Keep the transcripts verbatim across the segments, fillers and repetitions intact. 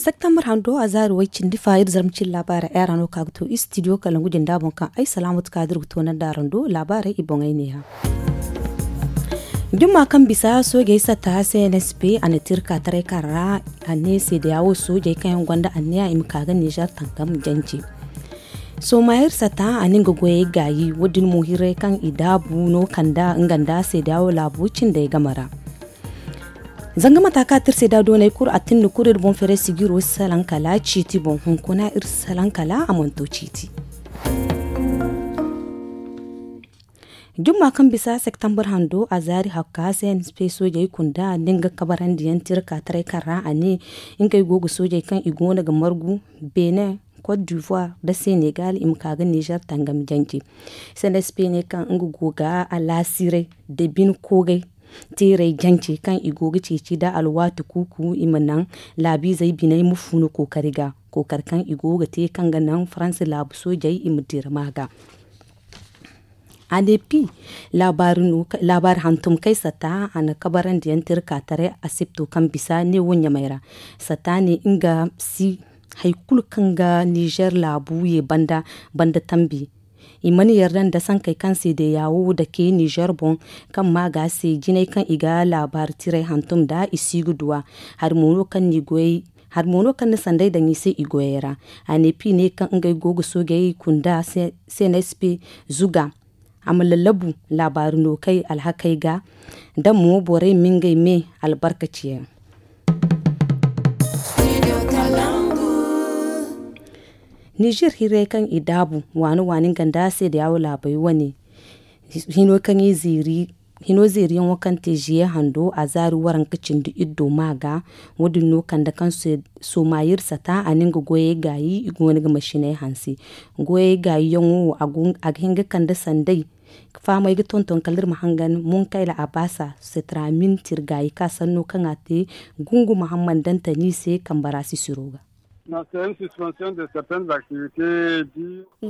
Septembar hando a zaari way cindi fa iri zarma cine laabaarey ay ra no ka ga to istidiyo kalangu jinda boŋ kaŋ ay salaamatu kaadir ga toonandi araŋ do. Laabaarey i boŋey neeya. Jumma kaŋ bisa soojey satta cnsp a na tirka taray kaŋ ra a ne seedeya wo soojey kaŋ yaŋ gonda anniya i ma ka ga nizer tangam janje. Sooma iri satta a na nga goyey gaayi wo- din mo hirey kaŋ i daabu no kanda nga nda seedeya wo laabu cindey game ra. Zanga mata kaŋ a tirse da dooney kulu a tinda kulu iri boŋ feeray sijiro salaŋ kala ciiti boŋ hunkuna iri salaŋ kala a mana to ciiti. Jumma kaŋ bisa septembar hando a zaari hakka cnsp soojey kunda nda nga kabarandiyaŋ tirka taray kaŋ ra a ne ngey go ga soojey kaŋ i go no ga margu benin, cote d'ivoire nda senegal i ma ka ga nizer tangam janje. Cnsp ne kaŋ nga go ga alaasiray da bine koogay teeray janje kaŋ i go ga ceeci nda alwaati kuuku i ma naŋ laabiizey biney ma funu kookari ga. Kookari kaŋ i go ga te kaŋ ga naŋ faransa laabu soojey i ma dira ma ga. Anepi laabaari hantum kay satta a na kabarandiyaŋ tirka taray asipto kaŋ bisa ne wo ɲamay ra. Satta ne nga si hari kulu kaŋ ga nizer laabu ye banda banda tambi. I mana yarda nda sankey kaŋ se deeya wo dake nizer boŋ kaŋ ma ga se jinay kaŋ i ga laabaari tiray hantum nda i si ga duwa. Hari mo no kaŋ ni goyey hari mo no kaŋ ni sanday daŋ i se i goyey ra. Anepi ne kaŋ ngey go ga soojey kunda cnsp zuga a ma lallabu laabaari no kay alhakey ga da mo borey ma ngey me albarkaci yaŋ. Nizer hirey kaŋ i daabu waani waani nga nda seedeya wo laabey wane hino kaŋ i ziiri hino zeeriyaŋo kaŋ te ziye hando a zaari waranka cindi iddo ma ga. Wo- din no kande kaŋ sooma iri sata a na nga goyey gaayi i go no ga masiney hanse. Goyey gaayiyaŋo wo a ga hin ga kande sanday fahamey ga tonton kala iri ma hangan munkayla a baasa setramin tir gaayi ka sanno kaŋ a te gungu muhammad dantani se kambe ra sisiro ga.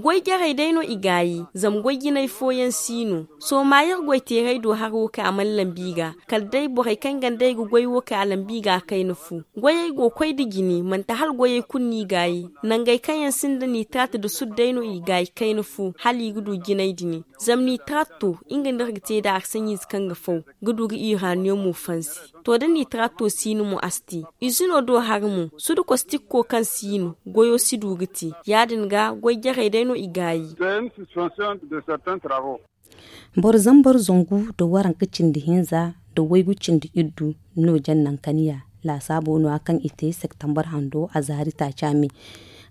Goy jarey day no i gaayi zama goy jinay fooyaŋ si no. Sooma iri goy teeray do haro kaŋ a mana lambi i ga kala day borey kaŋ ganda i ga goy wo kaŋ a lambi i ga a kayna fu. Goyey go koy nda jine manti hala goyey kulu no i gaayi. Nangey kaŋ yaŋ sinda nitrat nda sud day no i gaayi kayna fu hala i ga du jinay dini. Zama nitrat to nga no iri ga te nd'a arsaɲiize kaŋ ga faw ga du ga iraniyamo fansi. To da nitrat to si no mo a si te. Izino do hari mo sud kostikko kaŋ si no goyo si du ga te. Ya- din ga goy jarey day no i gaayi. Boro zambar zangu nda waranka cindi hinza nda waygu cindi iddu no jaŋ nankaniya laasaabo no- ya kaŋ i te septembar hando a zaari taaca me.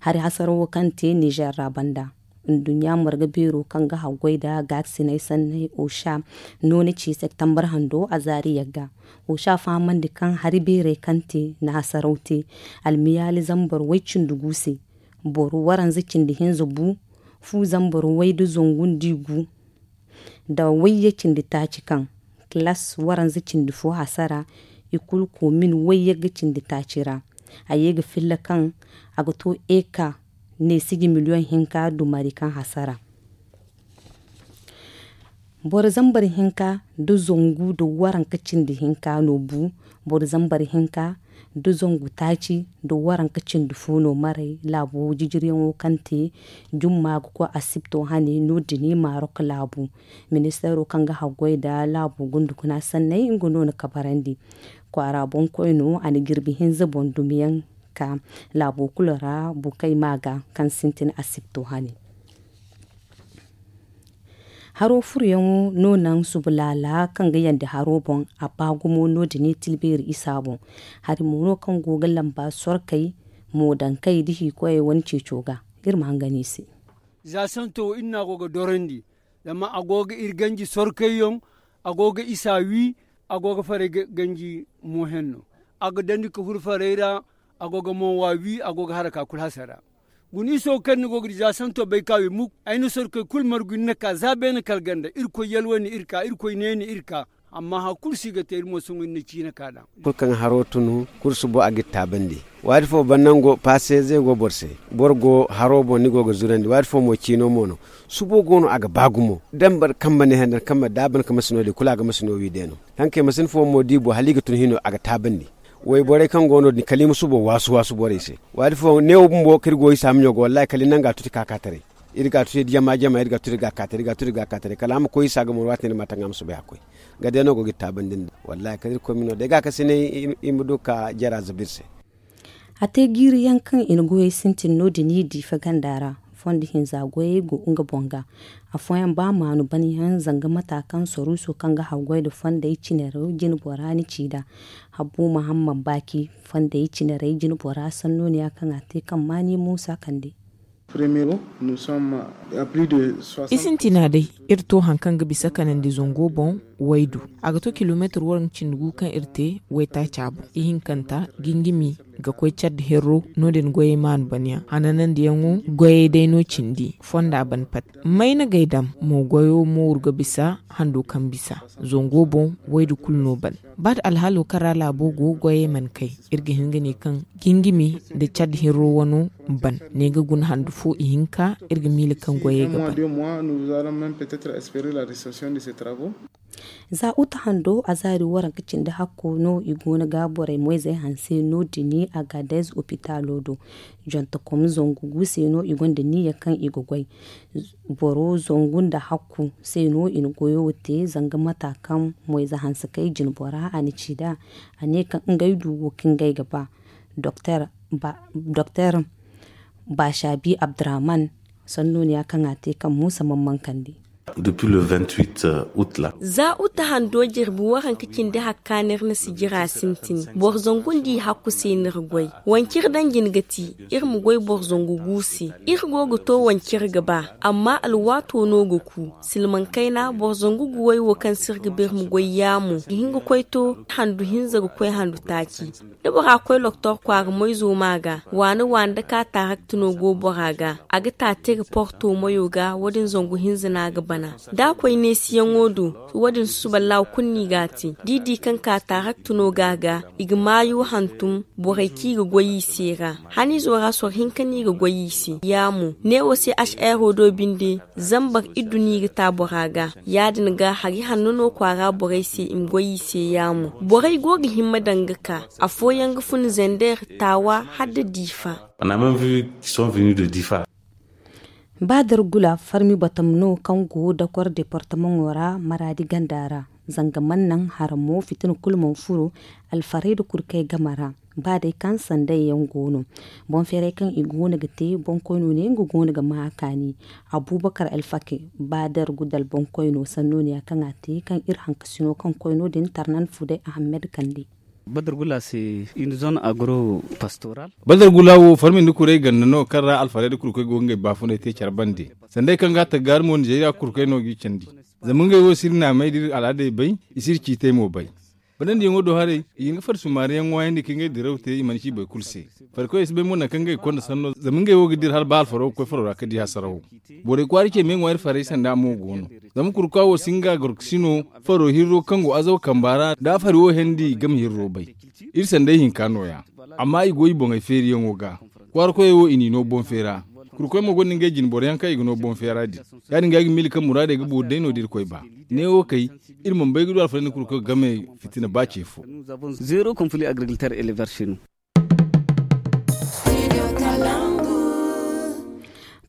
Hari hasarawo kaŋ te nizer ra banda nduɲɲa marga beero kaŋ ga haggoy nda gaakasinay sanney osha no na ci septembar hando a zaari yagga. Osha fahamandi kaŋ hari beerey kaŋ te na hasaraw te almiyaali zambar way cindi gu se. Boro waranza cindi hinza bu fu zambar way nda zangu nda i gu nda wayye cindi taaci kaŋ kilas waranza cindi fo hasara. I kulu koomin wayye ga cindi taaci ra. A ye ga filla kaŋ a ga to eka neesiji miliyoŋ hinka dumari kaŋ hasara. Boro zambar hinka nda zangu nda waranka cindi hinka no bu. Boro zambar hinka nda zangu taaci nda waranka cindi fo no maray laabo jijiryaŋo kaŋ te jumma ga koy asipto hane no- din marok laabu. Ministeero kaŋ ga haggoy nda laabo gundukuna sanney nga no na kabarandi kwaara boŋkoyno a na jirbi hinza boŋ dumiyaŋ ka laabo kulu ra bukey ma ga kaŋ sintin asipto hane. Haro furuyaŋo no naŋ subu laala kaŋ ga yandi haro boŋ a ba gumo no- din tilbeeri isa boŋ. Hari mo no kaŋ go ga lamba sorkey moodankey nda hiikoyey wane ceeco ga. Iri ma hangan i se. Za santo wo iri no a go ga dorandi zama a go ga iri ganji sorkayyaŋ. A go ga isa wi a go ga farey ganji mo henno. A ga dandi ka furo farey ra. A go ga mo wa wi a go ga haraka kulu hasara. Guna iso kaŋ ni go ga di za santo bay ka wi muk ay na sorkey kulu margu ni na ka za beene kala ganda irkoy yalwandi iri ka irkoy neeni iri ka. Amma hari kulu si ga te iri mo sohõ iri na ciina ka daŋ. Kulu kaŋ haro tun kulu subo a ga iri taabandi. Waati fo banda nango paseeze go boro se. Boro go haro boŋ ni go ga zurandi waati fo mo ciino mo no. Subo go no a ga ba gumo da ni boro kambe ne handa ni kambe da a ban ka masi no- din kulu a ga masi no wi day no. Haŋ kaŋ i masi ni fo mo di boŋ hala i ga tun hino a ga taabandi. Wayborey kaŋ go no din kala i ma subo waasu waasu borey se. Waati fo neewo bumbo kaŋ iri go i saamiɲo ga wallaahi kala i naŋ ga a tuti ka ka taray. Iri ga a tuti jama jama iri ga a tuti ga a ka taray iri ga a tuti ga a ka taray kala a ma koy i se a ga mor waati ne ni ma taŋ a ma soobay a koy. Nga day no go ga iri taabandi nda wallaahi kala iri koy ma no day ga a kasinay. I ma du ka jara zabu iri se. A te jiiri yaŋ kaŋ i na goyey sintin no- din i diifa ganda ra. Fondo hinza goyey go nga boŋ ga. Afooyaŋ ba maanu ban yaŋ zanga mata kaŋ saruuso kaŋ ga haggoy nda fondey cinaraw jine bora ni ci nd'a. Habbu mahamman baaki fondey cinarey jine bora sannooniya kaŋ a te kaŋ maani muusa kande. I sintina day iri to hari kaŋ ga bisa kanandi zango boŋ. Waydu a ga to kilomeetir waranka cindi gu kaŋ iri te waytaaca boŋ ihinkanta gingimi ga koy cadda herro no- din goyey maanu banyaŋ hananandiyaŋo. Goyey day no cindi fonda ban pat. Mayna gay dam mo goyo mooru ga bisa hando kaŋ bisa zango boŋ. Waydu kulu no ban ba da alhaalo kaŋ ra laabo go goyey mana kay. Iri ga hin ga ne kaŋ gingimi nda cadda herro wano ban ne ga guna handu fo ihinka. Iri ga miila kaŋ goyey ga ban. Za uta hando a zaari waranka cindi hakko no i go no ga borey moyzey hanse no- din agadez opitaalo do. Jontokom zangu gu se no i gonda niyya kaŋ i ga goy. Boro zangu nda hakku se no i na goyo wo te zanga mata kaŋ moyze hanse kay jine bora a na ci nd'a. A ne kaŋ ngey du wo kaŋ ngey ga ba. Doktor baashabi abdurahman sannooniya kaŋ a te kaŋ muusa mamman kande. Za uta hando jirbi waranka cindi hakka no iri na sijira sintin boro zangu nda i hakku se no iri goy. Wanci iri daŋ jine ga ti iri ma goy boro zangu gu se. Iri go ga to wanci iri ga ba amma alwaato no ga ku silmaŋ kayna boro zangu guwey wo kaŋ se iri ga ba iri ma goy yaamo ga hin ga koy to handu hinza ga koy handu taaci. Da bora koy loktor kwaara moyzo ma ga waani waani da ka tarakti no go bora ga a ga ta te ga porto moyo ga wo- din zangu hinza no a ga bana. Da a koy neesiyaŋo do wo- din susuballahu kulu no i ga a te da i di kaŋ ka tarakti no ga a ga i ga maayo hantum borey kaŋ i ga goy i se ra. Haniizo ra soro hinka no i ga goy i se ya mo neewo se ashero do binde. Zambar iddu no i ga ta bora ga ya- din ga hari hanno no kwaara borey se i ma goy i se ya mo borey go ga hima daŋ ga ka afooyaŋ ga fun zender taawa hala da diifa. Ba dargula farmi batam no kaŋ go dakor departamaŋo ra maraadi ganda ra. Zanga mana naŋ haramo fitina kulu mana furo alfarayda kulu kaŋ ay game ra. Ba day kaŋ sanday yaŋ go no boŋ feeray kaŋ i go no ga te boŋ koyno ne nga go no ga ma a kaani. Abubakar alfake ba dargu dala boŋ koyno sanno ne ya kaŋ a te kaŋ iri hankasino kaŋ koyno din tarnan fuday ahammed kande. Badargula se une zone agro pastoral. Badargula wo farmindi kuray ganda no kaŋ ra alfarayda kurkoy go ngey baafunay te care bande. Sanday kaŋ ga a taggaari mo nizeeriya kurkoy no g'i candi. Zama ngey wo si iri naamey da iri al'aadey bay. I si iri ciitey mo bay. Banandiyaŋo do haray i hin ga farsumaariyaŋ ŋwaayandi ka ngey diraw te i mana ci boro kulu se. Farikoy si bay mo naŋ kaŋ ngey ga konda sanno zama ngey wo ga dira hala ba alfaro ga koy faro ra ka di hasarawo. Borey kwaara ce me ŋwaari farey sanda mo go no. Zama kurukwa wo si nga gorkasino faro hirro kaŋ go azaw kamba ra da a fari wo hendi game hirro bay. Iri sanday hinka nooya. Amma i go i boŋey feeriyaŋo ga. Kwaara koyey wo i n'i no boŋ feera. Kurkoy mo gonda ngey jine boroyaŋ kaŋ i ga no boŋ feera din. Ya- din ga ay ga miila kaŋ muraadey ga boori day no da irkoy ba. Neewo kay iri mana bay ga du alfarayndi kurkoy game fitina ba ce fo. Zero conflit agriculteur éleveur chez nous.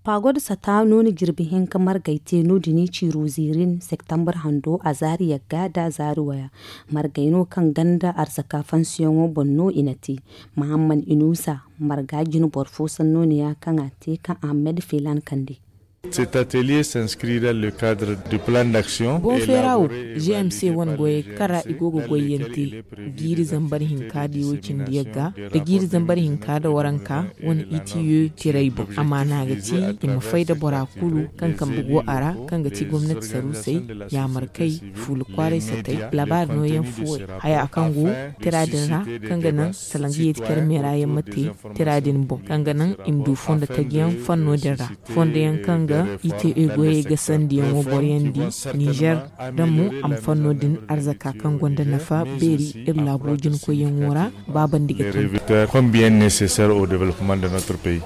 Paago da sata no na jirbi hinka margay te no- din i ciiro ziirin septembre hando a zaari yagga da a zaari waya. Margay no kaŋ ganda arzaka fansiyaŋo boŋ no i na te. Mahamman inusa marga jine boro fo sanno ne ya kaŋ a te kaŋ ahammed feelan kande. Cet atelier s'inscrit dans le cadre du plan d'action. Boŋ feera wo gmc wane goyey kaŋ ra i go ga goyyaŋ te. Jiiri zambar hinka da i wo cindi yagga da jiiri zambar hinka da waranka wane ite yo tiray boŋ. Amaana ga ti i ma fay da bora kulu kaŋ kambe go a ra kaŋ ga ti gomnati saruusey, yaamarkey, fuula kwaaray satey, labaari nooyaŋ fuwey, haya kaŋ go tira din ra kaŋ ga naŋ salaŋ ga yeeti care meera yaŋ ma te tira din boŋ kaŋ ga naŋ i ma du fondo tajiyaŋ fanno din ra. Fondo yaŋ kaŋ ga ite goyey ga sandiyaŋo boroyaŋ di nizer da mo a ma fanno din arzaka kaŋ gonda nafa beeri iri laabo jinkoyyaŋo ra. Ba bandi ga tun. Combien nécessaire au développement de notre pays.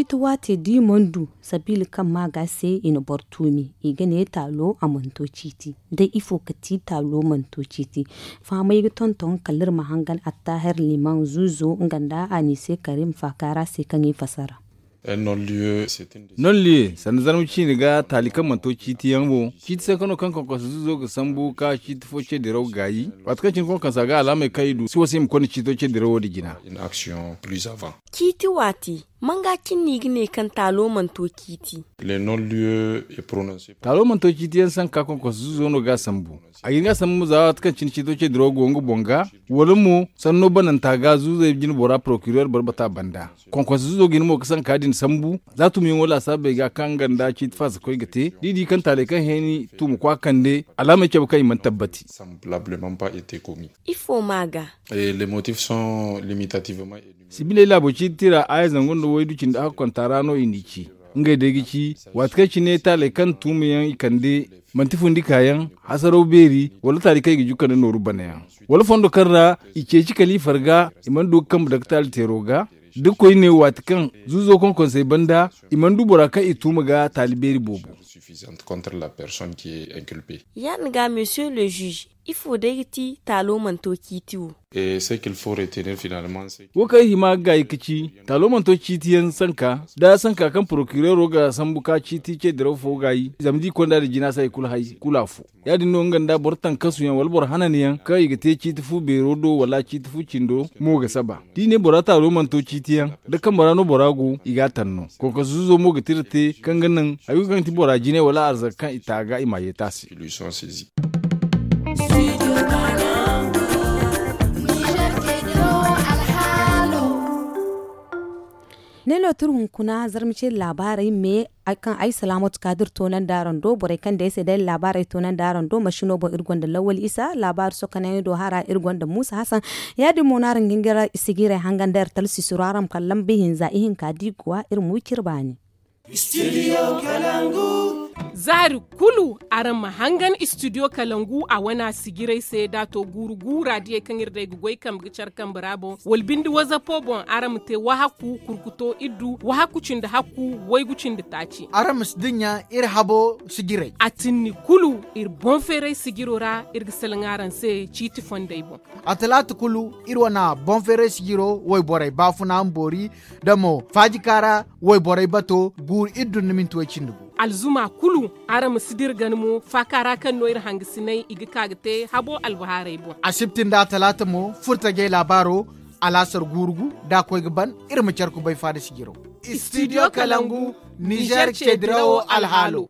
Ciiti waate da i mana du sabiila kaŋ ma ga se i na boro tuumi, i ga ne taalo a mana to ciiti. Day ifo ka ti taalo mana to ciiti? Fahamay ga tonton kala iri ma hangan attaahir liman zuuzo nga nda anise karim faakaara se kaŋ i fasara. Nolliye sanda zarma ciini ga taali kaŋ mana to ciiti yaŋ wo. Ciiti sanka no kaŋ konkonsa zuuzo ga sambu ka ciiti fo ce diraw gaayi. Waati kaŋ cine konkonsa ga alaamey kaŋ i du si wasa i ma konda ciito ce dirawo din jina. Ciiti waati, manga cine no i ga ne kaŋ taalo mana to ciiti? Taalo mana to ciiti yaŋ sanka konkonsa zuuzo no ga a sambu. A ga hin ga a sambu mo za waati kaŋ cine ciito ce dirawo go nga boŋ ga, wala mo sanno bananta ga zuuzey jine bora porokireer barbata banda. Konkonsa zuuzo ga hin mo ga sanka din sambu za tumiyaŋo laasaabey ga kaŋ nga nda ciiti faasa koy ga te da i di kaŋ taaley kaŋ hẽeni tuuma kwa kande alaamey cabe kaŋ i mana tabbati. Ifo ma ga? Sibiley laabo ciiti ra aaya zangu nda waydu cindi a ga konta ra no i n'i ci. Ngey day ga ci, waati kaŋ cine taaley kaŋ tuumayaŋ i kande, manti fundi kaayaŋ, hasaraw beeri, wala taali kaŋ i ga jukka nda nooru banayaŋ, wala fondo kaŋ ra i ceeci kala i farga, i mana du ga kambe daktaali teero ga. Da koyne waati kaŋ zuuzo konkonsey banda, i mana du bora kaŋ i tuuma ga taali beeri boobo. Ya- din ga monsieur le juge, ifo day ga ti taalo mana to ciiti wo? Wo kaŋ ay hima ga gaayi ga ci, taalo mana to ciiti yaŋ sanka da sanka kaŋ porokireero ga sambu ka ciiti ce diraw fo gaayi zama da i konda da jina se hari kulu afo. Ya- din no nga nda boro tankasu yaŋ wala boro hanan yaŋ kaŋ i ga te ciiti fu beero do wala ciiti fu cindo mo ga saba. Da i ne bora taalo mana to ciiti yaŋ, da kambe ra no bora go i ga a tanno. Konkonsa zuuzo mo ga tira te kaŋ ga naŋ hari kulu kaŋ ga ti bora jine wala arzaka kaŋ i ta ga i ma yeeti a se. Ne no tira hunkuna zarma ce laabaarey me kaŋ ay salaamatu kaadir toonandi araŋ do borey kaŋ day se day laabaarey toonandi araŋ do masino boŋ iri gonda lawal isa laabaari sokonayaŋ do hara iri gonda muusa hasan. Ya- din mo no araŋ ga hin ga iri sigirey hangan da iri talsisiro araŋ ma kala lamba ihinza ihinka da i ga wa iri ma wi cire baani. Zaari kulu araŋ ma hangan istidiyo kalangu a wana sigiray se da a to guuru guura diyey kaŋ iri day ga goy kambe ga care kambe ra boŋ wala binde wazapo boŋ araŋ ma te wahakku kurkuto iddu wahakku cindi hakku waygu cindi taaci. Araŋ ma si dinya iri habo sigiray a tinni kulu iri boŋ feeray sigiro ra iri ga salaŋ araŋ se ciiti fondey boŋ. A talaata kulu iri wana boŋ feeray sigiro wayborey baafuna ma boori da mo faajika ra wayborey bato guuru iddu nda minti way cindi gu. Alzuma kulu araŋ ma si dira gana mo faaka ra kaŋ no iri hangasinay i ga ka ga te habo albahaarey boŋ. Asibti nda talaata mo furtajey laabaaro alaasar guuru gu da a koy ga ban iri ma care kubay faada sijiro. Istidiyo kalangu nizer ce dirawo alhaalo.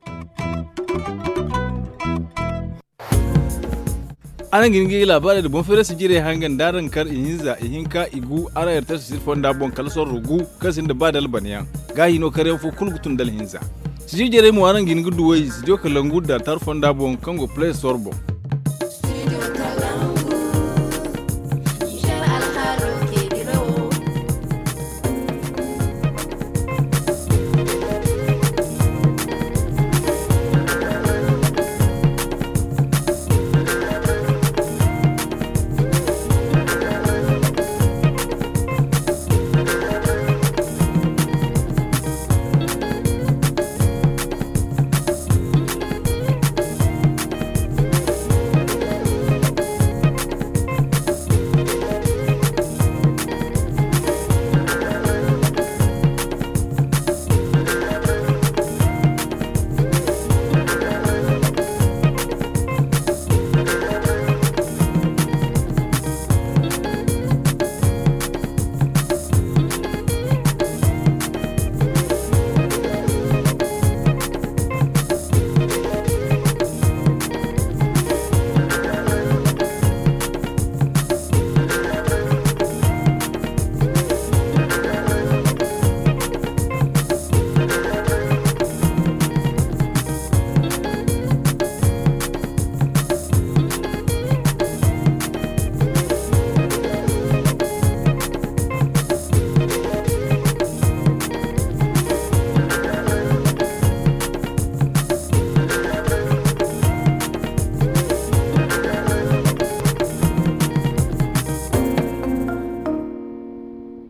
Araŋ ga hin ga i laabaarey nda boŋ feerey sijirey hangan da araŋ kar ihinza ihinka igu araŋ yartar sijir fonda boŋ kala sorro gu kaŋ sinda ba da albanayaŋ. Gaahi no karyaŋ fo kulu ga tun da alhinza. Sijir jarey mo araŋ ga hin ga duwey sidiyo kalangu da altar fonda boŋ kaŋ go play store boŋ.